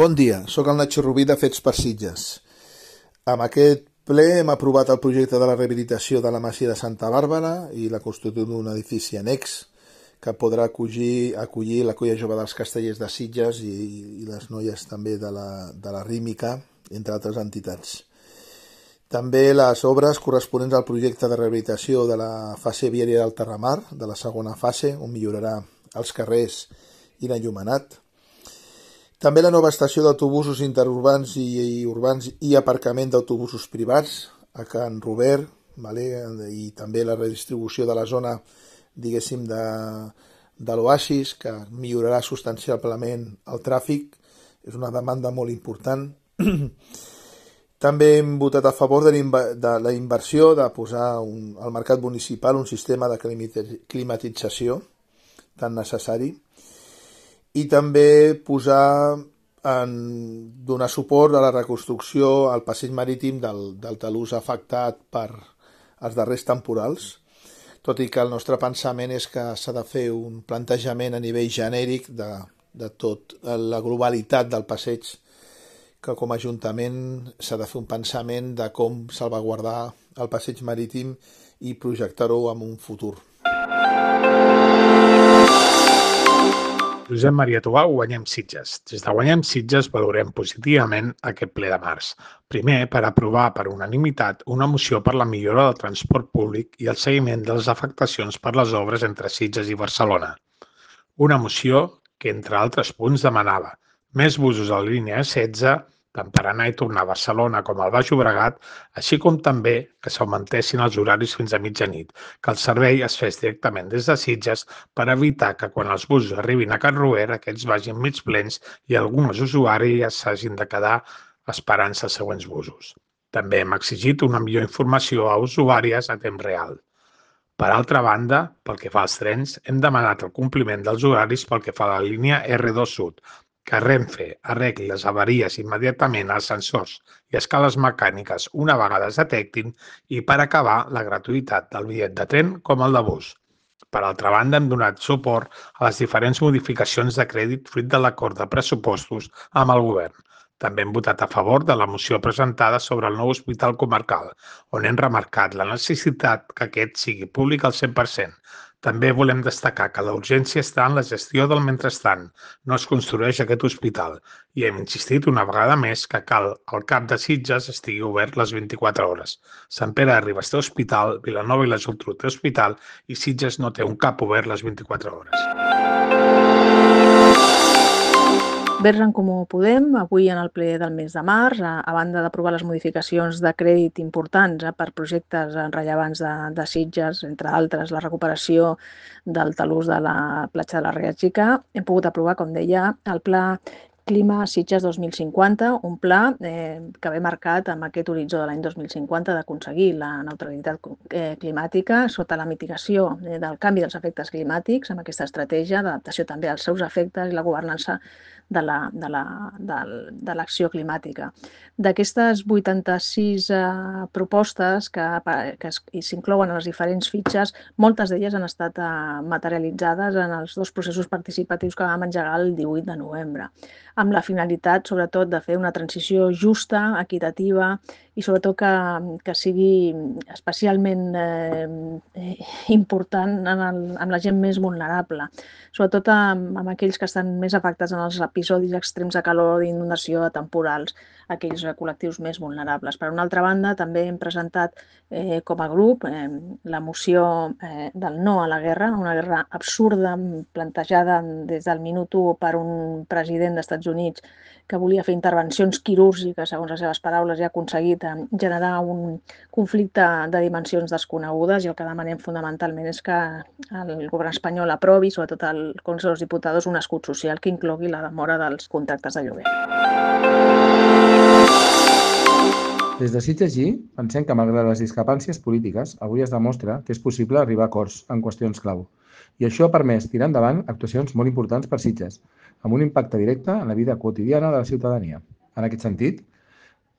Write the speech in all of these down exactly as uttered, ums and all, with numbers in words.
Bon dia, sóc el Nacho Rubí de Fets per Sitges. Amb aquest ple hem aprovat el projecte de la rehabilitació de la Masia de Santa Bàrbara i la construcció d'un edifici annex que podrà acollir, acollir la Colla Jove dels Castellers de Sitges i, i les noies també de la, de la Rímica, entre altres entitats. També les obres corresponents al projecte de rehabilitació de la fase viària del Terramar, de la segona fase, on millorarà els carrers i l'enllumenat. També la nova estació d'autobusos interurbans i, i urbans i aparcament d'autobusos privats a Can Robert, vale? I també la redistribució de la zona, diguéssim, de, de l'Oasis, que millorarà substancialment el tràfic. És una demanda molt important. També hem votat a favor de, de la inversió de posar un, al mercat municipal un sistema de climatització tan necessari. I també posar en donar suport a la reconstrucció al passeig marítim del, del talús afectat per els darrers temporals, tot i que el nostre pensament és que s'ha de fer un plantejament a nivell genèric de, de tot la globalitat del passeig, que com a Ajuntament s'ha de fer un pensament de com salvaguardar el passeig marítim i projectar-ho en un futur. Josep Maria Tubau, Guanyem Sitges. Des de Guanyem Sitges valorem positivament aquest ple de març. Primer, per aprovar per unanimitat una moció per la millora del transport públic i el seguiment de les afectacions per les obres entre Sitges i Barcelona. Una moció que, entre altres punts, demanava més busos a la línia setze, tant per anar i tornar a Barcelona com al Baix Llobregat, així com també que s'augmentessin els horaris fins a mitjanit, que el servei es fes directament des de Sitges per evitar que quan els busos arribin a Can Robert aquests vagin mig plens i alguns usuaris s'hagin de quedar esperant-se els següents busos. També hem exigit una millor informació a usuàries a temps real. Per altra banda, pel que fa als trens, hem demanat el compliment dels horaris pel que fa a la línia erre dos Sud, que Renfe arregli les avaries immediatament als sensors i escales mecàniques una vegada es detectin i per acabar la gratuïtat del bitllet de tren com el de bus. Per altra banda, hem donat suport a les diferents modificacions de crèdit fruit de l'acord de pressupostos amb el govern. També hem votat a favor de la moció presentada sobre el nou hospital comarcal, on hem remarcat la necessitat que aquest sigui públic al cent per cent. També volem destacar que la urgència està en la gestió del mentrestant. No es construeix aquest hospital i hem insistit una vegada més que cal el CAP de Sitges estigui obert les vint-i-quatre hores. Sant Pere de Ribes té hospital, Vilanova i la Geltrú té hospital i Sitges no té un CAP obert les vint-i-quatre hores. Verds en Comú Podem, avui en el ple del mes de març, a, a banda d'aprovar les modificacions de crèdit importants eh, per projectes rellevants de, de Sitges, entre altres la recuperació del talús de la platja de la Ria Xica, hem pogut aprovar, com deia, el Pla Clima Sitges dos mil cinquanta, un pla eh, que ve marcat amb aquest horitzó de l'any dos mil cinquanta d'aconseguir la neutralitat eh, climàtica sota la mitigació eh, del canvi dels efectes climàtics, amb aquesta estratègia d'adaptació també als seus efectes i la governança de la, de la, de, de l'acció climàtica. D'aquestes vuitanta-sis eh, propostes que, que s'inclouen en les diferents fitxes, moltes d'elles han estat eh, materialitzades en els dos processos participatius que vam engegar el divuit de novembre, amb la finalitat, sobretot, de fer una transició justa, equitativa i, sobretot, que, que sigui especialment eh, important en, el, en la gent més vulnerable, sobretot amb, amb aquells que estan més afectats en els episodis extrems de calor, d'inundació, temporals, aquells col·lectius més vulnerables. Per una altra banda, també hem presentat eh, com a grup eh, la moció eh, del no a la guerra, una guerra absurda plantejada des del minut u per un president dels Estats Units que volia fer intervencions quirúrgiques, segons les seves paraules, i ha aconseguit generar un conflicte de dimensions desconegudes, i el que demanem fonamentalment és que el govern espanyol aprovi, sobretot al Congrés dels Diputats, un escut social que inclogui la demora dels contractes de lloguer. Des de Sitges G, pensem que malgrat les discrepàncies polítiques, avui es demostra que és possible arribar a acords en qüestions clau. I això ha permès tirar endavant actuacions molt importants per Sitges, amb un impacte directe en la vida quotidiana de la ciutadania. En aquest sentit,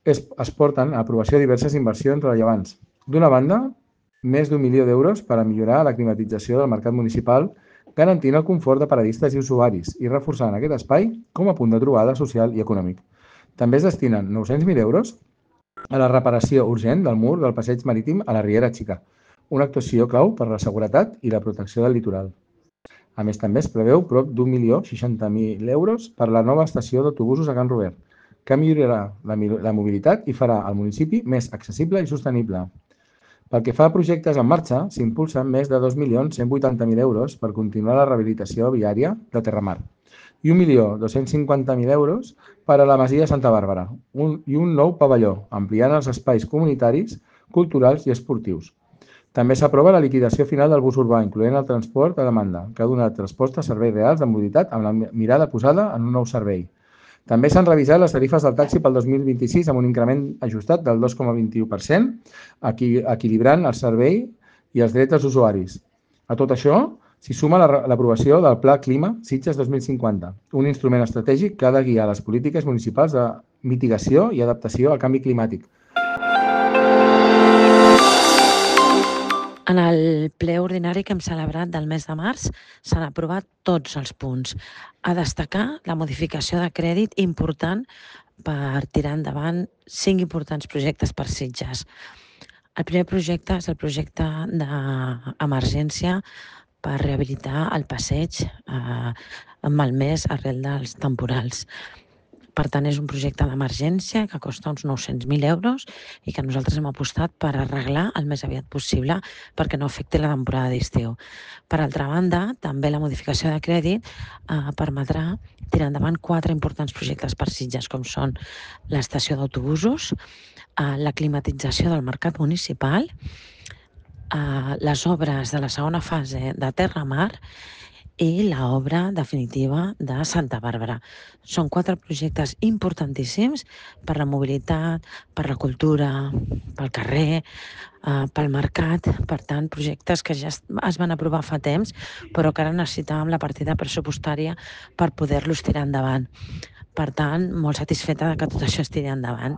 es, es porten a aprovació diverses inversions rellevants. D'una banda, més d'un milió d'euros per a millorar la climatització del mercat municipal garantint el confort de paradistes i usuaris i reforçant aquest espai com a punt de trobada social i econòmic. També es destinen nou-cents mil euros a la reparació urgent del mur del passeig marítim a la Riera Xica, una actuació clau per a la seguretat i la protecció del litoral. A més, també es preveu prop d'un milió seixanta mil euros per a la nova estació d'autobusos a Can Robert, que millorarà la mobilitat i farà el municipi més accessible i sostenible. Pel que fa a projectes en marxa, s'impulsen més de dos milions cent vuitanta mil euros per continuar la rehabilitació viària de Terramar i un milió dos-cents cinquanta mil euros per a la Masia Santa Bàrbara i un nou pavelló, ampliant els espais comunitaris, culturals i esportius. També s'aprova la liquidació final del bus urbà, incloent el transport a demanda, que ha donat resposta a serveis reals de mobilitat amb la mirada posada en un nou servei. També s'han revisat les tarifes del taxi pel dos mil vint-i-sis amb un increment ajustat del dos coma vint-i-u per cent, equilibrant el servei i els drets dels usuaris. A tot això s'hi suma l'aprovació del Pla Clima Sitges dos mil cinquanta, un instrument estratègic que ha de guiar les polítiques municipals de mitigació i adaptació al canvi climàtic. En el ple ordinari que hem celebrat del mes de març s'han aprovat tots els punts. A destacar la modificació de crèdit important per tirar endavant cinc importants projectes per Sitges. El primer projecte és el projecte d'emergència per rehabilitar el passeig eh, malmès arrel dels temporals. Per tant, és un projecte d'emergència que costa uns nou-cents mil euros i que nosaltres hem apostat per arreglar el més aviat possible perquè no afecti la temporada d'estiu. Per altra banda, també la modificació de crèdit eh, permetrà tirar endavant quatre importants projectes per Sitges, com són l'estació d'autobusos, eh, la climatització del mercat municipal, eh, les obres de la segona fase de Terramar i l'obra definitiva de Santa Bàrbara. Són quatre projectes importantíssims per la mobilitat, per la cultura, pel carrer, eh, pel mercat. Per tant, projectes que ja es van aprovar fa temps, però que ara necessitàvem la partida pressupostària per poder-los tirar endavant. Per tant, molt satisfeta que tot això es tiri endavant.